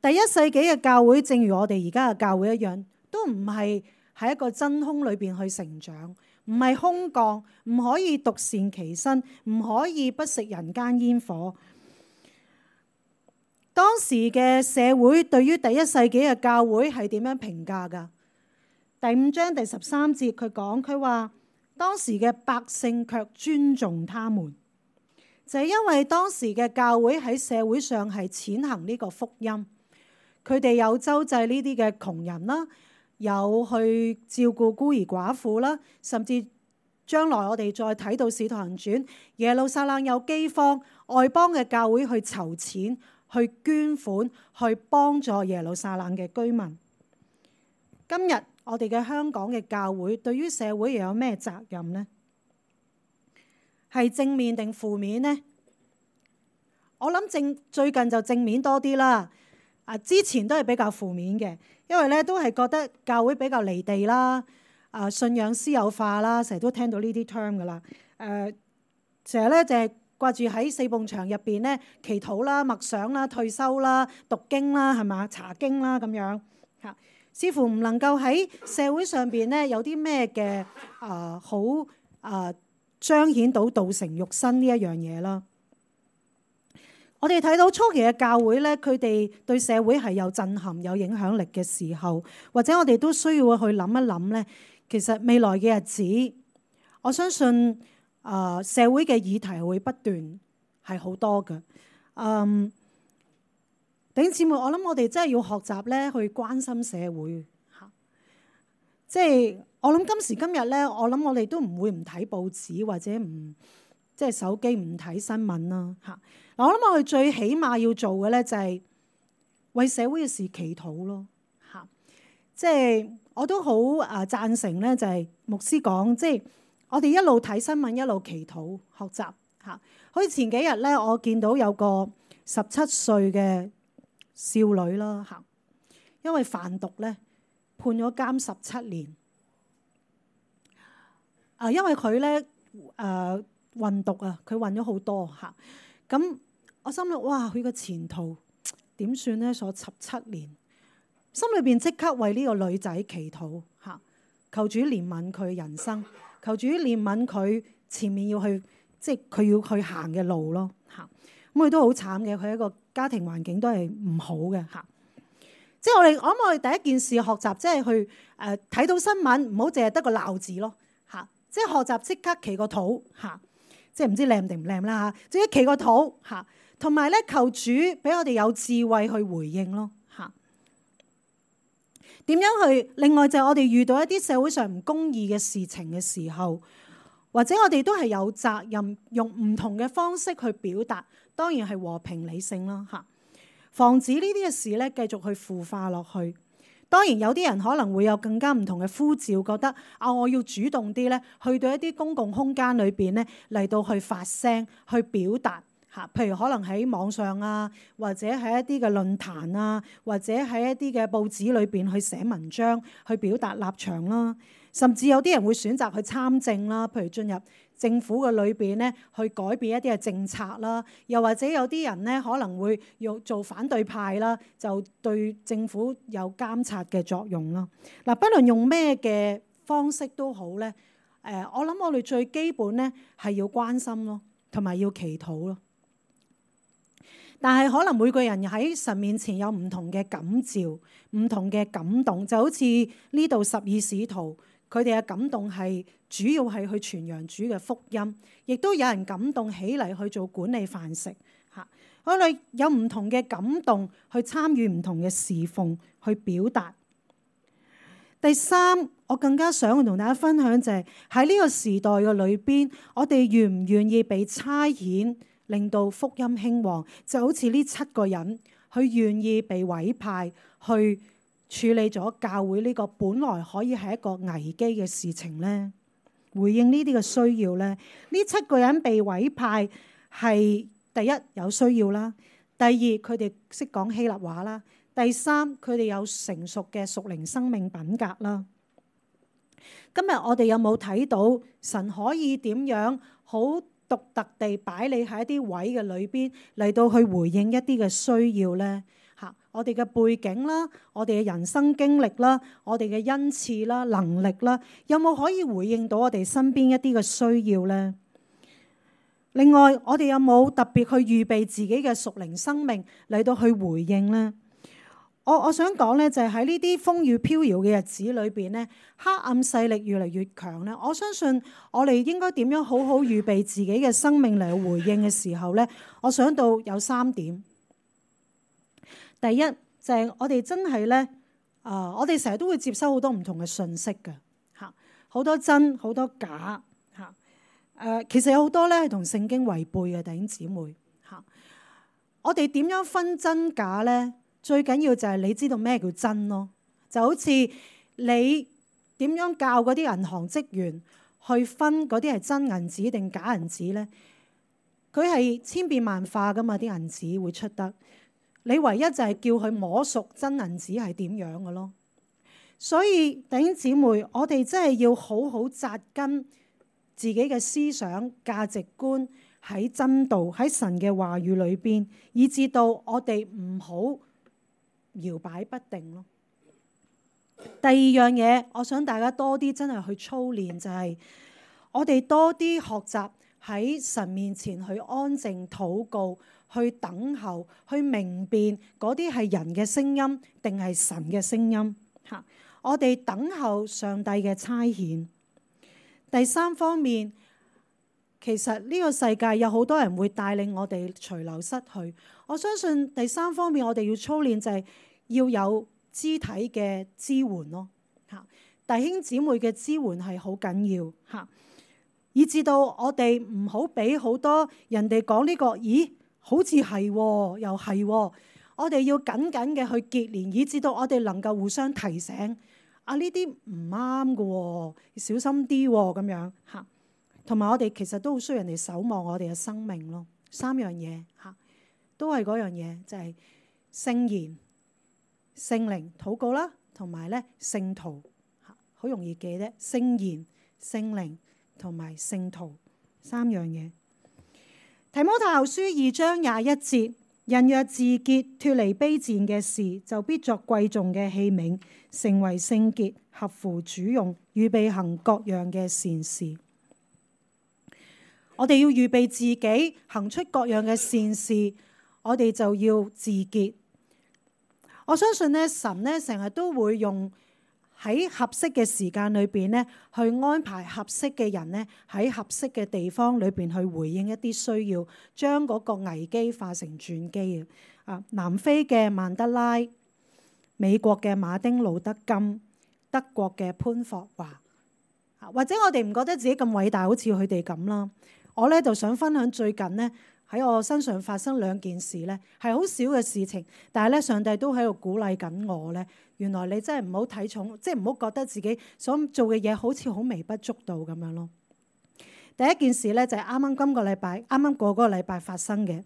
第一世紀嘅教會，正如我哋而家嘅教會一樣，都唔係喺一個真空裏邊去成長，唔係空降，唔可以獨善其身，唔可以不食人間煙火。當時嘅社會對於第一世紀嘅教會係點樣評價㗎？第五章第十三節佢講，佢話當時嘅百姓卻尊重他們，就係因為當時嘅教會喺社會上係踐行呢個福音。佢哋有周濟呢啲嘅窮人啦，有去照顧孤兒寡婦啦，甚至將來我哋再睇到《使徒行傳》，耶路撒冷有饑荒，外邦嘅教會去籌錢、去捐款、去幫助耶路撒冷嘅居民。今日我哋嘅香港嘅教會對於社會又有咩責任呢？係正面定負面呢？我諗正最近就正面多啲啦。啊，之前都係比較負面嘅，因為咧都係覺得教會比較離地啦，啊信仰私有化啦，成日都聽到呢啲 term 噶啦。誒成日咧就係掛住喺四埲牆入邊咧祈禱啦、默想啦、退修啦、讀經啦，係嘛查經啦咁樣嚇，似乎唔能夠喺社會上邊咧有啲咩嘅啊好啊彰顯到道成肉身呢一樣嘢啦。我哋睇到初期嘅教會咧，佢哋對社會係有震撼、有影響力嘅時候，或者我哋都需要去諗一諗咧。其實未來嘅日子，我相信啊、呃、社會嘅議題會不斷係好多嘅。嗯，弟兄姊妹，我諗我哋真係要學習咧去關心社會嚇。即係我諗今時今日咧，我諗我哋都唔會唔睇報紙或者唔即係手機唔睇新聞啦嚇。嗱，我諗我哋最起碼要做嘅咧就係為社會嘅事祈禱咯嚇。即係我都好啊贊成咧，就係牧師講，即係我哋一路睇新聞一路祈禱學習嚇。好似前幾日咧，我見到有個十七歲嘅少女啦嚇，因為販毒咧判咗監十七年。啊，因為佢咧誒運毒啊，佢運咗好多嚇。咁我心諗哇，佢個前途點算咧？所十七年，心裏邊即刻為呢個女仔祈禱嚇，求主憐憫佢人生，求主憐憫佢前面要去即係佢要去行嘅路咯嚇。咁佢都好慘嘅，佢一個家庭環境都係唔好嘅嚇。即係我哋，我諗我哋第一件事學習，即係去誒睇到新聞，唔好淨係得個鬧字咯嚇。即係學習即刻祈個禱嚇，即係唔知靚定唔靚啦嚇，即係祈個禱嚇。同埋咧，求主俾我哋有智慧去回應咯嚇。點樣去？另外就係我哋遇到一啲社會上唔公義嘅事情嘅時候，或者我哋都係有責任用唔同嘅方式去表達，當然係和平理性啦嚇。防止呢啲嘅事咧繼續去腐化落去。當然有啲人可能會有更加唔同嘅呼召，覺得啊，我要主動啲咧，去到一啲公共空間裏邊咧嚟到去發聲、去表達。嚇，譬如可能喺網上啊，或者喺一啲嘅論壇啊，或者喺一啲嘅報紙裏邊去寫文章，去表達立場啦。甚至有啲人會選擇去參政啦，譬如進入政府嘅裏邊咧，去改變一啲嘅政策啦。又或者有啲人咧可能會要做反對派啦，就對政府有監察嘅作用啦。嗱，不論用咩嘅方式都好咧，誒，我諗我哋最基本咧係要關心咯，同埋要祈禱咯。但係可能每個人喺神面前有唔同嘅感召、唔同嘅感動，就好似呢度十二使徒，佢哋嘅感動係主要係去傳揚主嘅福音，亦都有人感動起嚟去做管理飯食嚇。我哋有唔同嘅感動去參與唔同嘅侍奉，去表達。第三，我更加想同大家分享就係喺呢個時代嘅裏邊，我哋願唔願意被差遣？令到福音興旺，就好似呢七個人，佢願意被委派去處理咗教會呢個本來可以係一個危機嘅事情呢，回應呢啲嘅需要呢。呢七個人被委派係第一有需要啦，第二佢哋識講希臘話啦，第三佢哋有成熟嘅屬靈生命品格啦。今日我哋有冇睇到神可以點樣好獨特地擺你喺一啲位嘅裏邊嚟到去回應一啲嘅需要咧嚇，我哋嘅背景啦，我哋嘅人生經歷啦，我哋嘅恩賜啦、能力啦，有冇可以回應到我哋身邊一啲嘅需要咧？另外，我哋有冇特別去預備自己嘅屬靈生命嚟到去回應咧？我我想講咧，就係喺呢啲風雨飄搖嘅日子裏邊咧，黑暗勢力越嚟越強咧。我相信我哋應該點樣好好預備自己嘅生命嚟回應嘅時候咧，我想到有三點。第一就係我哋真係咧，啊，我哋成日都會接收好多唔同嘅信息嘅嚇，好多真好多假嚇。誒，其實有好多咧係同聖經違背嘅，弟兄姊妹嚇。我哋點樣分真假咧？最緊要就係你知道咩叫真咯，就好似你點樣教嗰啲銀行職員去分嗰啲係真銀紙定假銀紙咧？佢係千變萬化噶嘛，啲銀紙會出得。你唯一就係叫佢摸熟真銀紙係點樣嘅咯。所以弟兄姊妹，我哋真係要好好紮根自己嘅思想價值觀喺真道喺神嘅話語裏邊，以至到我哋唔好搖擺不定咯。第二樣嘢，我想大家多啲真係去操練，就係我哋多啲學習喺神面前去安靜禱告，去等候，去明辨嗰啲係人嘅聲音定係神嘅聲音。嚇，我哋等候上帝嘅差遣。第三方面，其實呢個世界有好多人會帶領我哋隨流失去。我相信第三方面我哋要操練就係要有肢體嘅支援咯。嚇，弟兄姊妹嘅支援係好緊要嚇，以至到我哋唔好俾好多人哋講呢個，咦？好似係又係，我哋要緊緊嘅去結連，以至到我哋能夠互相提醒啊，呢啲唔啱嘅，小心啲咁樣嚇。同埋我哋其實都好需要人哋守望我哋嘅生命咯。三樣嘢嚇，都係嗰樣嘢，就係聖言、聖靈禱告啦，同埋咧聖徒嚇，好容易記啫。聖言、聖靈同埋聖徒三樣嘢。提摩太後書二章廿一節，人若自潔，脫離卑賤嘅事，就必作貴重嘅器皿，成為聖潔，合乎主用，預備行各樣嘅善事。我哋要預備自己行出各樣嘅善事，我哋就要自潔。我相信咧，神咧成日都會用喺合適嘅時間裏邊咧，去安排合適嘅人咧喺合適嘅地方裏邊去回應一啲需要，將嗰個危機化成轉機啊！南非嘅曼德拉、美國嘅馬丁路德金、德國嘅潘霍華，或者我哋唔覺得自己咁偉大，好似佢哋咁啦。我咧就想分享最近咧喺我身上發生兩件事咧，係好少嘅事情，但係咧上帝都喺度鼓勵緊我咧。原來你真係唔好睇重，即係唔好覺得自己所做嘅嘢好似好微不足道咁樣咯。第一件事咧就係啱啱今個禮拜，啱啱過嗰個禮拜發生嘅。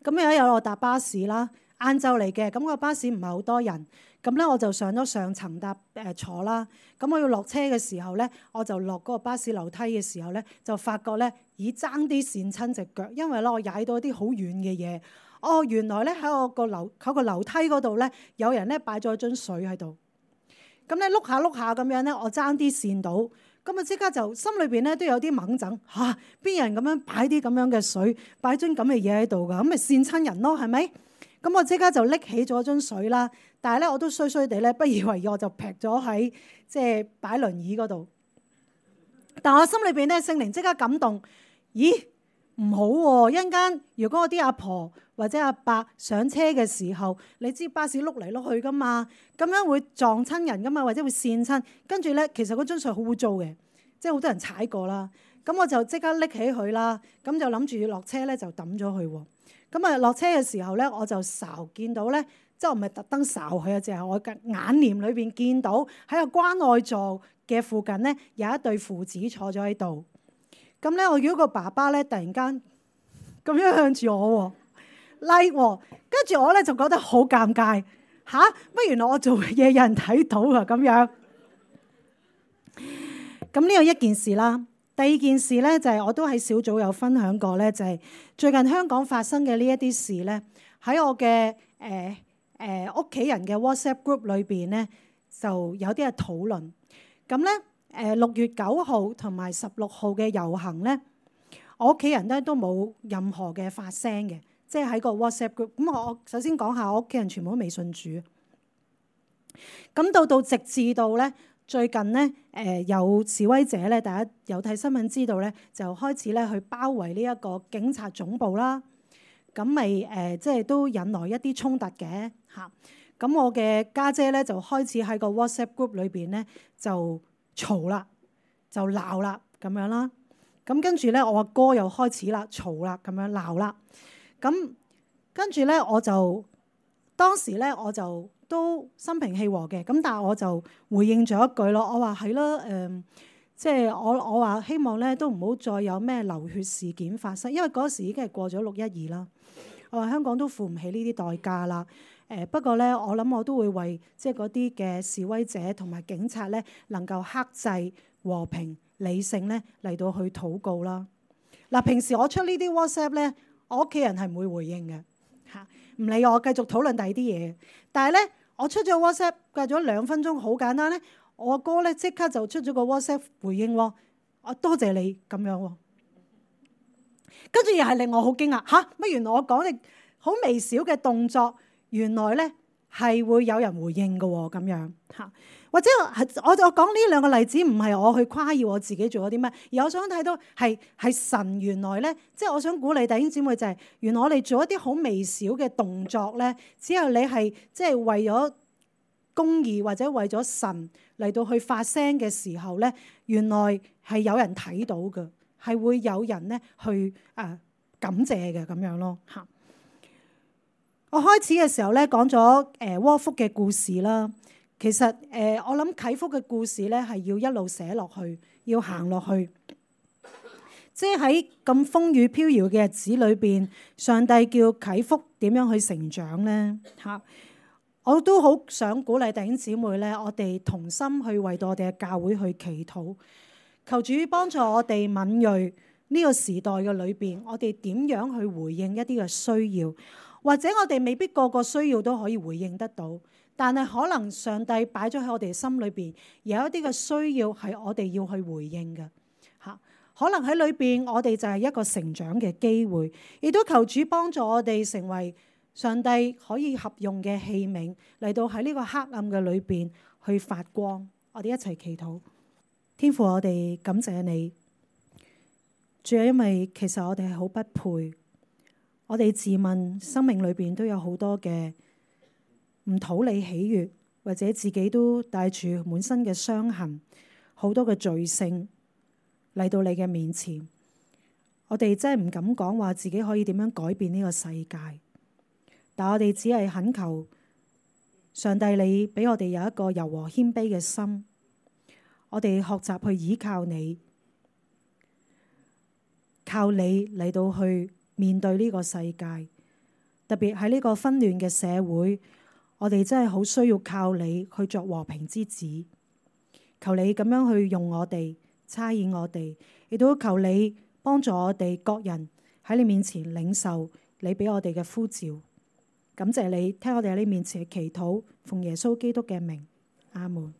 咁有一日我搭巴士啦，晏晝嚟嘅，咁個巴士唔係好多人，咁咧我就上咗上層搭誒坐啦。咁我要落車嘅時候咧，我就落嗰個巴士樓梯嘅時候咧，就發覺咧，咦爭啲跣親隻腳，因為咧我踩到一啲好軟嘅嘢。哦，原來咧喺我個樓喺個樓梯嗰度咧，有人咧擺咗樽水喺度。咁咧碌下碌下咁樣咧，我爭啲跣到，咁啊即刻就心裏邊咧都有啲掹整嚇，邊有人咁樣擺啲咁樣嘅水，擺樽咁嘅嘢喺度㗎，咁咪跣親人咯，係咪？咁我即刻就拎起咗樽水啦，但係咧我都衰衰地咧，不以為意，我就劈咗喺即係擺輪椅嗰度。但我心裏邊咧，聖靈即刻感動，咦唔好喎、啊！一陣間如果我啲阿婆或者阿伯上車嘅時候，你知巴士碌嚟碌去噶嘛，咁樣會撞親人噶嘛，或者會跣親。跟住咧，其實嗰樽水好污糟嘅，即係好多人踩過啦。咁我就即刻拎起佢啦，咁就諗住落車咧就抌咗佢喎。咁啊落車嘅時候咧，我就睄見到咧，即係我唔係特登睄佢啊，淨係我嘅眼簾裏邊見到喺個關愛座嘅附近咧有一對父子坐咗喺度。咁咧，我見到個爸爸咧突然間咁樣向住我喎，like 喎，跟住我咧就覺得好尷尬嚇，乜原來我做嘅嘢有人睇到啊咁樣。咁呢個一件事啦。第二件事咧就係、是、我都喺小組有分享過咧，就係、是、最近香港發生嘅呢一啲事咧，喺我嘅誒誒屋企人嘅 WhatsApp group 裏邊咧就有啲嘅討論。咁咧誒六月九號同埋十六號嘅遊行咧，我屋企人咧都冇任何嘅發聲嘅，即係喺個 WhatsApp group。咁我首先講下我屋企人全部都未信主。咁到到直至到咧。最近咧，誒有示威者咧，大家有睇新聞知道咧，就開始咧去包圍呢一個警察總部啦。咁咪誒，即係都引來一啲衝突嘅嚇。咁我嘅家姐咧就開始喺個 WhatsApp group 裏邊咧就嘈啦，就鬧啦咁樣啦。咁跟住咧，我阿哥又開始啦嘈啦，咁樣鬧啦。咁跟住咧，我就當時咧我就。都心平氣和嘅，咁但係我就回應咗一句咯，我話係咯，誒、呃，即係我我話希望咧都唔好再有咩流血事件發生，因為嗰時已經係過咗六一二啦。我話香港都付唔起呢啲代價啦，誒、誒不過咧，我諗我都會為即係嗰啲嘅示威者同埋警察咧，能夠克制、和平、理性咧嚟到去禱告啦。嗱，平時我出呢啲 WhatsApp 咧，我屋企人係唔會回應嘅嚇，唔理我繼續討論第二啲嘢。但係咧，我出咗 WhatsApp 隔咗兩分鐘，好簡單咧，我哥咧即刻就出咗個 WhatsApp 回應喎，我多謝你咁樣喎。跟住又係令我好驚訝嚇，乜原來我講嘅好微小嘅動作，原來咧係會有人回應嘅喎，咁樣嚇。或者係我就講呢兩個例子，唔係我去誇耀我自己做咗啲咩，而我想睇到係係神原來咧，即係我想鼓勵弟兄姊妹就係，原來我哋做一啲好微小嘅動作咧，只有你係即係為咗公義或者為咗神嚟到去發聲嘅時候咧，原來係有人睇到嘅。係會有人咧去誒、呃、感謝嘅咁樣咯嚇。我開始嘅時候咧講咗誒窩福嘅故事啦。其實誒、呃、我諗啟福嘅故事咧係要一路寫落去，要行落去。即係喺咁風雨飄搖嘅日子裏邊，上帝叫啟福點樣去成長咧嚇。我都好想鼓勵弟兄姊妹咧，我哋同心去為到我哋嘅教會去祈禱。求主幫助我哋敏銳呢個時代嘅裏邊，我哋點樣去回應一啲嘅需要，或者我哋未必個個需要都可以回應得到，但係可能上帝擺咗喺我哋心裏邊有一啲嘅需要係我哋要去回應嘅嚇。可能喺裏邊我哋就係一個成長嘅機會，亦都求主幫助我哋成為上帝可以合用嘅器皿，嚟到喺呢個黑暗嘅裏邊去發光。我哋一齊祈禱。天父，我哋感謝你，主要因為其實我哋係好不配，我哋自問生命裏邊都有好多嘅唔討你喜悅，或者自己都帶住滿身嘅傷痕，好多嘅罪性嚟到你嘅面前，我哋真係唔敢講話自己可以點樣改變呢個世界，但我哋只係懇求上帝，你俾我哋有一個柔和謙卑嘅心。我哋學習去依靠你，靠你嚟到去面對呢個世界，特別喺呢個紛亂嘅社會，我哋真係好需要靠你去作和平之子。求你咁樣去用我哋，差遣我哋，亦都求你幫助我哋各人喺你面前領受你俾我哋嘅呼召。感謝你聽我哋喺你面前嘅祈禱，奉耶穌基督嘅名，阿門。